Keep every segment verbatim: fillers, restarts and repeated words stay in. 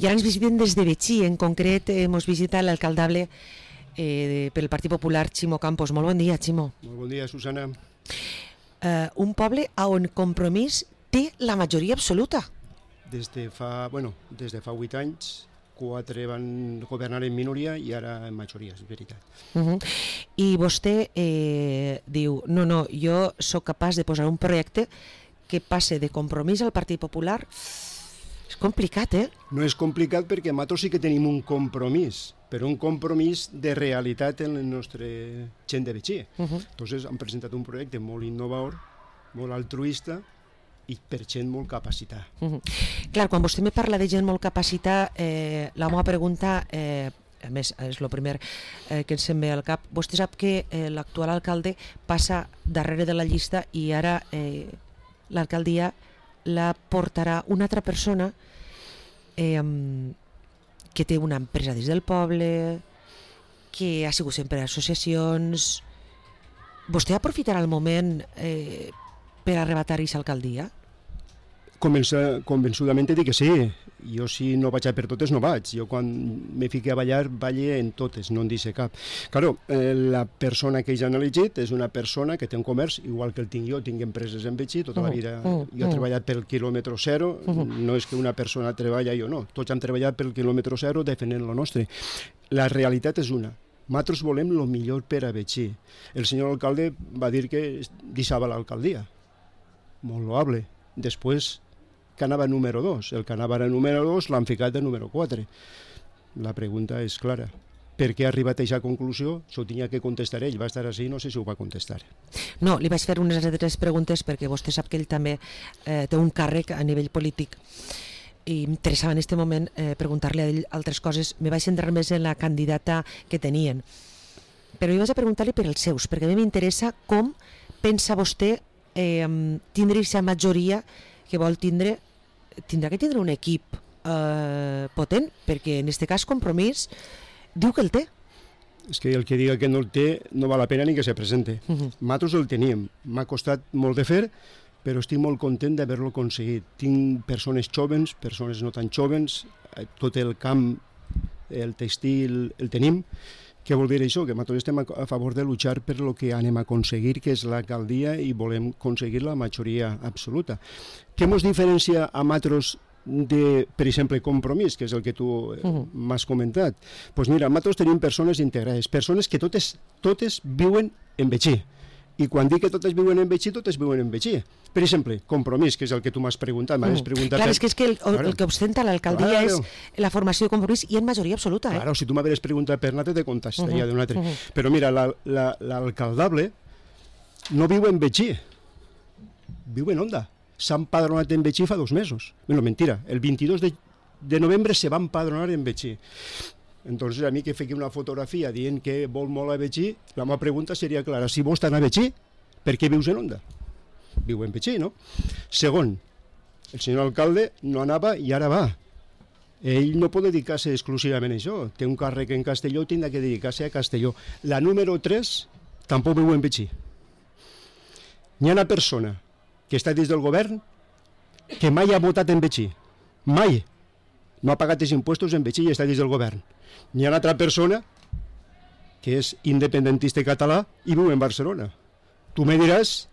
I ara ens visiten des de Betxí, en concret ens visita l'alcaldable eh, pel Partit Popular, Ximo Campos. Molt bon dia, Ximo. Molt bon dia, Susana. Uh, un poble on Compromís té la majoria absoluta. Des de fa, bueno, des de fa vuit anys, quatre van governar en minoria i ara en majoria, és veritat. Uh-huh. I vostè eh, diu, no, no, jo sóc capaç de posar un projecte que passe de Compromís al Partit Popular. És complicat, eh? No és complicat perquè nosaltres sí que tenim un compromís, però un compromís de realitat en el nostre gent de Betxí. Uh-huh. Entonces han presentat un projecte molt innovador, molt altruista i per gent molt capacitada. Uh-huh. Clar, quan vostè me parla de gent molt capacitada, eh, la meva pregunta, eh, a més és el primer eh, que ens em ve al cap, vostè sap que eh, l'actual alcalde passa darrere de la llista i ara eh, l'alcaldia la portarà una altra persona eh, que té una empresa des del poble, que ha sigut sempre a associacions. Vostè aprofitarà el moment eh, per arrebatar aquesta alcaldia? Comença, convençudament dic que sí. Jo si no vaig a per totes no vaig. Jo quan me fique a ballar, balle en totes, no en deixe cap. Claro, eh, la persona que ells han elegit és una persona que té un comerç, igual que el tinc jo, tinc empreses en Betxí, tota la vida. Uh, uh, jo he treballat pel quilòmetre zero, uh -huh. no és que una persona treballa i jo no. Tots hem treballat pel quilòmetre zero defendent lo nostre. La realitat és una. Nosaltres volem el millor per a Betxí. El senyor alcalde va dir que deixava l'alcaldia. Molt loable. Després que anava número dos. El que anava era número dos l'han ficat de número quatre. La pregunta és clara. Per què ha arribat a aquesta conclusió? S'ho tenia que contestar ell. Va estar així, no sé si ho va contestar. No, li vaig fer unes altres preguntes perquè vostè sap que ell també eh, té un càrrec a nivell polític i m'interessava en aquest moment eh, preguntar-li a ell altres coses. Me vaig centrar més en la candidata que tenien. Però jo vaig a preguntar-li per els seus, perquè a mi m'interessa com pensa vostè eh, tindre aquesta majoria que vol tindre. Tindrà que tindre un equip eh, potent, perquè en aquest cas Compromís diu que el té. És que el que diga que no el té no val la pena ni que se presente. Uh -huh. Nosaltres el teníem. M'ha costat molt de fer, però estic molt content d'haver-lo aconseguit. Tinc persones jovens, persones no tan jovens, tot el camp, el textil, el tenim. Què vol dir això? Que nosaltres estem a favor de luchar per el que anem a aconseguir, que és l'alcaldia, i volem aconseguir la majoria absoluta. Què ens diferencia a nosaltres de, per exemple, Compromís, que és el que tu uh-huh. m'has comentat? Doncs pues mira, nosaltres tenim persones integrades, persones que totes, totes viuen en Betxí. I quan dic que totes viuen en Betxí, totes viuen en Betxí. Per exemple, Compromís, que és el que tu m'has preguntat. M'has preguntat clar, per... és que, és que el, el, el que ostenta l'alcaldia claro. és la formació de Compromís i en majoria absoluta. Eh? Claro, si tu m'hagués preguntat per l'altre, te contestaria uh-huh. d'un altre. Uh-huh. Però mira, l'alcaldable la, la, no viu en Betxí, viu en Onda. S'ha empadronat en Betxí fa dos mesos. Bueno, mentira, el vint-i-dos de, de novembre se va empadronar en Betxí. Entonces a mi que fiqui una fotografia dient que vol molt a Betxí, la meva pregunta seria clara: si vols anar a Betxí, per què vius en Onda? Viu en Betxí, no? Segon, el senyor alcalde no anava i ara va. Ell no pot dedicar-se exclusivament a això. Té un càrrec en Castelló, tindrà que dedicar-se a Castelló. La número tres tampoc viu en Betxí. Hi ha una persona que està dins del govern que mai ha votat en Betxí. Mai. No ha pagat els impuestos en Betxí i està dins del govern. Hi ha una altra persona que és independentista català i viu en Barcelona. Tu me diràs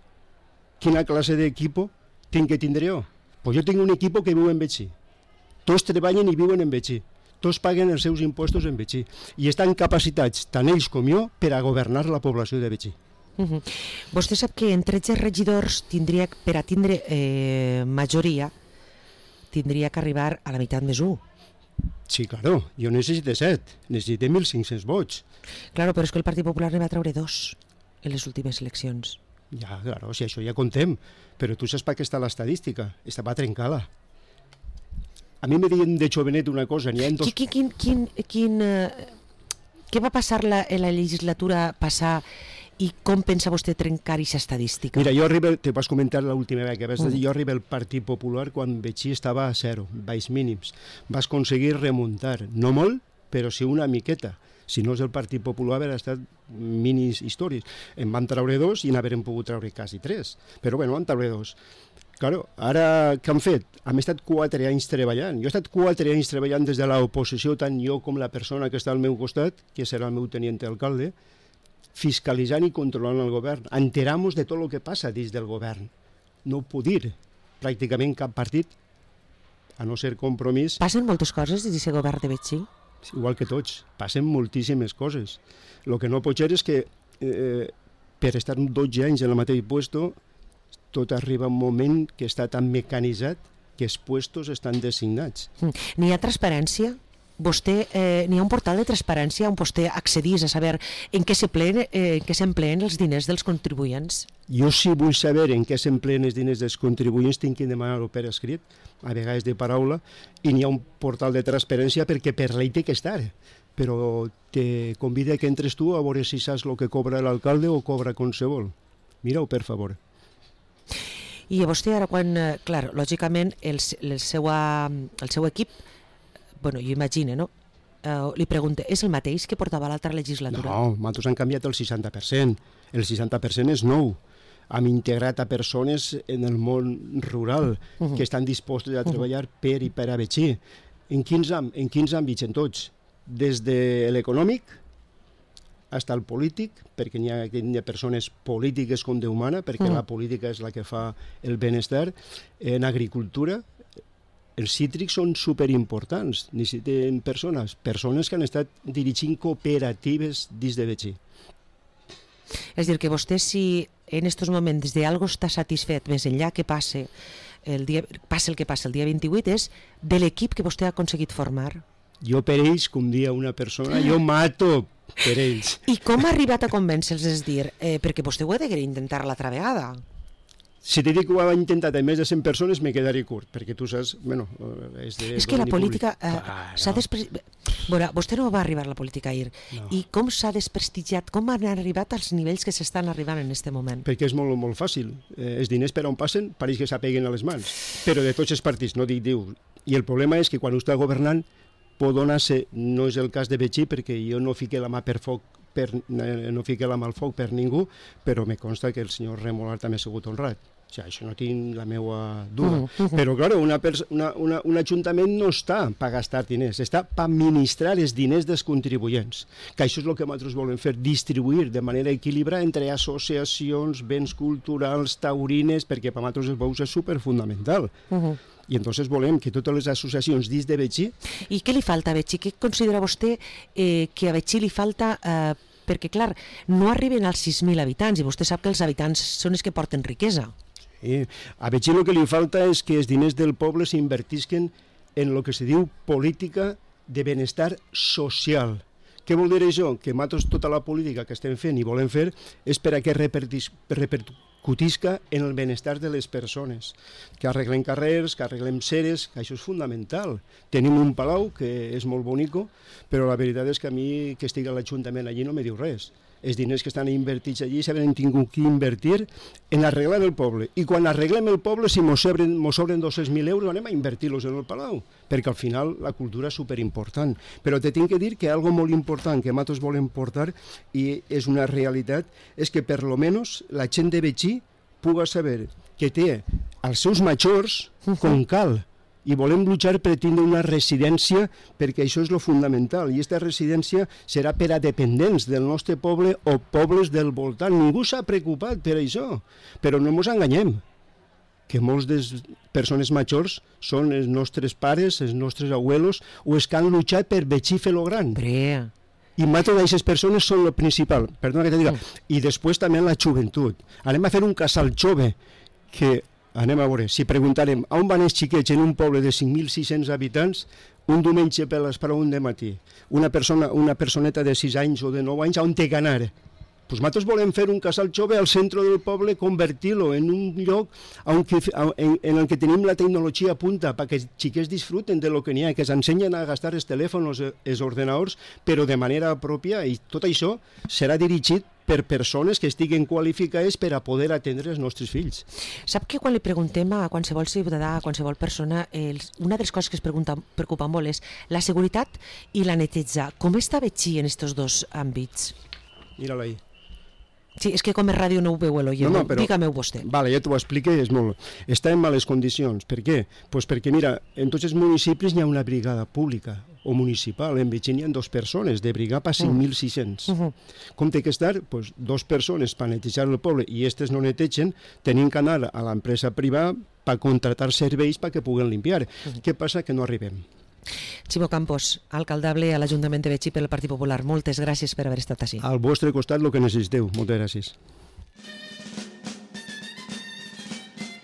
quina classe d'equipo tinc que tindre jo. Pues jo tinc un equipo que viu en Betxí. Tots treballen i viuen en Betxí. Tots paguen els seus impuestos en Betxí. I estan capacitats, tant ells com jo, per a governar la població de Betxí. Uh-huh. Vostè sap que en tretze regidors tindria, per a tindre eh, majoria, tindria que arribar a la meitat més un. Sí, claro, jo necessito set, necessito mil cinc-cents vots. Claro, però és que el Partit Popular ne va treure dos en les últimes eleccions. Ja, claro, si això ja contem, però tu saps per què està l'estadística, estava trencada. A mi me diuen de jovenet una cosa, n'hi ha dos... Quin, quin, quin, quin, uh, què va passar la, en la legislatura passar i com pensa vostè trencar aquesta estadística? Mira, jo arribo, te vas comentar l'última vegada que vas dir, mm. jo arribo al Partit Popular quan Betxí estava a zero, baix mínims. Vas aconseguir remuntar, no molt, però sí una miqueta. Si no és el Partit Popular, hauria estat minis històries. En van treure dos i n'haurem pogut treure quasi tres. Però bueno, van treure dos. Claro, ara què han fet? Hem estat quatre anys treballant. Jo he estat quatre anys treballant des de l'oposició, tant jo com la persona que està al meu costat, que serà el meu teniente alcalde, fiscalitzant i controlant el govern. Enteramos de tot el que passa dins del govern. No ho puc dir pràcticament cap partit, a no ser Compromís. Passen moltes coses dins d'aquest govern de Betxí? Igual que tots, passen moltíssimes coses. El que no pot ser és que eh, per estar dotze anys en el mateix puesto, tot arriba un moment que està tan mecanitzat que els puestos estan designats. N'hi ha transparència? Vostè, eh, n'hi ha un portal de transparència on vostè accedís a saber en què s'empleen eh, els diners dels contribuents? Jo sí vull saber en què s'empleen els diners dels contribuents, tinc que demanar-ho per escrit, a vegades de paraula, i n'hi ha un portal de transparència perquè per llei té que estar. Però te convida que entres tu a veure si saps el que cobra l'alcalde o cobra qualsevol. Mira-ho, per favor. I a vostè ara quan, clar, lògicament el, el, seu, el seu equip, bueno, jo imagino, no? Uh, li pregunto, és el mateix que portava l'altra legislatura? No, nosaltres han canviat el seixanta per cent. El seixanta per cent és nou. Hem integrat a persones en el món rural uh-huh. que estan dispostes a treballar uh-huh. per i per a Betxí. En quins, en quins àmbits? En tots. Des de l'econòmic fins al polític, perquè n'hi ha, hi ha persones polítiques com Déu mana, perquè mm. la política és la que fa el benestar. En agricultura, els cítrics són superimportants. Necessiten persones, persones que han estat dirigint cooperatives dins de Betxí. És dir, que vostè, si en aquests moments de algo està satisfet, més enllà que passe el, dia, passe el que passa el dia vint-i-vuit, és de l'equip que vostè ha aconseguit formar. Jo per ells, com dia una persona, jo mato per ells. I com ha arribat a convèncer-los? És dir, eh, perquè vostè ho ha de intentar l'altra vegada. Si te dic que ho ha intentat a més de cent persones, me quedaré curt, perquè tu saps... Bueno, és, de és que la política eh, ah, s'ha no. desprestigiat... Bueno, vostè no va arribar a la política ahir. No. I com s'ha desprestigiat? Com han arribat als nivells que s'estan arribant en aquest moment? Perquè és molt, molt fàcil. Eh, els diners per on passen pareix que s'apeguen a les mans. Però de tots els partits, no dic diu. I el problema és que quan ho està governant pot donar-se, no és el cas de Betxí, perquè jo no fiqué la mà per foc, per, no fiqué la mà al foc per ningú, però me consta que el senyor Remolart també ha sigut honrat. O sigui, això no tinc la meva duda. Uh -huh. Però, clar, una, una, una, un ajuntament no està per gastar diners, està per administrar els diners dels contribuents, que això és el que nosaltres volem fer, distribuir de manera equilibrada entre associacions, béns culturals, taurines, perquè per nosaltres els bous és superfundamental. Uh -huh. I entonces volem que totes les associacions dins de Betxí... I què li falta a Betxí? Què considera vostè eh, que a Betxí li falta... Eh, perquè, clar, no arriben als sis mil habitants i vostè sap que els habitants són els que porten riquesa. Sí. A Betxí el que li falta és que els diners del poble s'invertisquen en el que se diu política de benestar social. Què vol dir això? Que nosaltres tota la política que estem fent i volem fer és per a que repercutisca en el benestar de les persones. Que arreglem carrers, que arreglem ceres, que això és fundamental. Tenim un palau que és molt bonico, però la veritat és que a mi que estigui a l'Ajuntament allí no me diu res. Els diners que estan invertits allí s'han tingut que invertir en arreglar el poble. I quan arreglem el poble, si mos sobren, mos sobren dos-cents mil euros, anem a invertir-los en el palau, perquè al final la cultura és superimportant. Però te tinc que dir que algo molt important que nosaltres volem portar, i és una realitat, és que per lo menos la gent de Betxí puga saber que té els seus majors com cal, i volem luchar per tindre una residència, perquè això és lo fundamental, i aquesta residència serà per a dependents del nostre poble o pobles del voltant. Ningú s'ha preocupat per això, però no ens enganyem, que molts de les persones majors són els nostres pares, els nostres abuelos, o els que han lluitat per Betxí fer-lo gran. Brea. I moltes d'aquestes persones són el principal, perdona que te diga, mm. i després també la joventut. Anem a fer un casal jove, que anem a veure, si preguntarem on van els xiquets en un poble de cinc mil sis-cents habitants, un diumenge per l'esprau un de matí, una, persona, una personeta de sis anys o de nou anys, on té que anar? Pues nosaltres volem fer un casal jove al centre del poble, convertir-lo en un lloc on que, en, en el que tenim la tecnologia a punta, perquè els xiquets disfruten de lo que n'hi ha, que s'ensenyen a gastar els telèfons, els ordenadors, però de manera pròpia, i tot això serà dirigit per persones que estiguen qualificades per a poder atendre els nostres fills. Sap que quan li preguntem a qualsevol ciutadà, a qualsevol persona, els, una de les coses que es pregunta, preocupa molt és la seguretat i la neteja. Com està Betxí en aquests dos àmbits? Mira-la ahí. Sí, és que com a ràdio no ho veu l'oient, no, no, però... digue-me-ho vostè. Vale, ja t'ho expliqué, és molt... Està en males condicions. Per què? Pues perquè, mira, en tots els municipis hi ha una brigada pública o municipal. En Betxí hi ha dos persones, de brigada per cinc mil sis-cents. Uh -huh. Com té que estar? Pues, dos persones per netejar el poble i aquestes no netegen, tenim que anar a l'empresa privada per contratar serveis perquè puguen limpiar. Uh -huh. Què passa? Que no arribem. Ximo Campos, alcaldable a l'Ajuntament de Betxí pel Partit Popular. Moltes gràcies per haver estat així. Al vostre costat el que necessiteu. Moltes gràcies.